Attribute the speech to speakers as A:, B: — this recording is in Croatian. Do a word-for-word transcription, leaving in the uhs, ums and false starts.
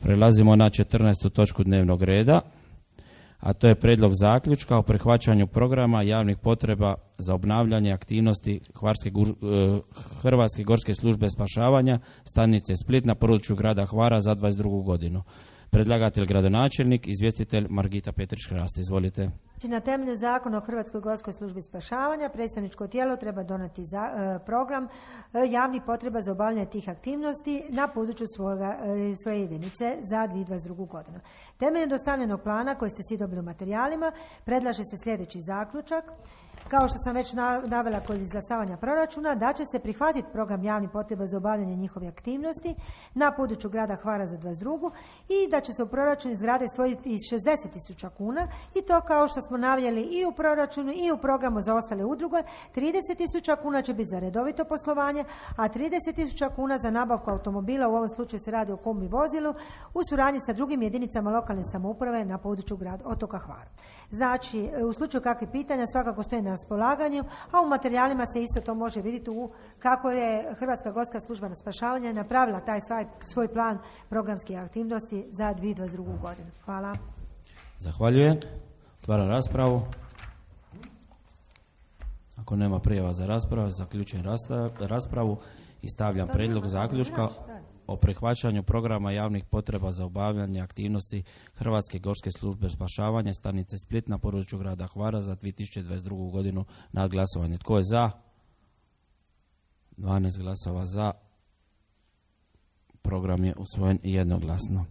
A: Prelazimo na četrnaestu točku dnevnog reda, a to je prijedlog zaključka o prihvaćanju programa javnih potreba za obnavljanje aktivnosti Hvarske, Hrvatske gorske službe spašavanja stanice Split na području grada Hvara za dvadeset drugu godinu. Predlagatelj gradonačelnik, izvjestitelj Margita Petrić-Hrast. Izvolite.
B: Na temelju zakona o Hrvatskoj gorskoj službi spašavanja predstavničko tijelo treba donijeti za, e, program e, javnih potreba za obavljanje tih aktivnosti na području svoga, e, svoje jedinice za dvije tisuće dvadeset drugu godinu. Temeljem dostavljenog plana koji ste svi dobili u materijalima predlaže se sljedeći zaključak. Kao što sam već navela kod izglasavanja proračuna, da će se prihvatiti program javnih potreba za obavljanje njihove aktivnosti na području grada Hvara za dvadeset drugu i da će se u proračunu izgrade izdvojiti šezdeset tisuća kuna i to kao što smo naveli i u proračunu i u programu za ostale udruge. trideset tisuća kuna će biti za redovito poslovanje, a trideset tisuća kuna za nabavku automobila, u ovom slučaju se radi o kombi vozilu, u suradnji sa drugim jedinicama lokalne samouprave na području grada otoka Hvara. Znači, u slučaju kakvih pitanja svakako stoji na raspolaganju, a u materijalima se isto to može vidjeti u kako je Hrvatska gorska služba na spašavanje napravila taj svoj, svoj plan programskih aktivnosti za dvije tisuće dvadeset drugu godinu. Hvala.
A: Zahvaljujem. Otvaram raspravu. Ako nema prijava za raspravu, zaključujem raspravu i stavljam prijedlog zaključka o prihvaćanju programa javnih potreba za obavljanje aktivnosti Hrvatske gorske službe spašavanja stanice Split na području grada Hvara za dvije tisuće dvadeset drugu godinu na glasovanje. Tko je za? dvanaest glasova za. Program je usvojen jednoglasno.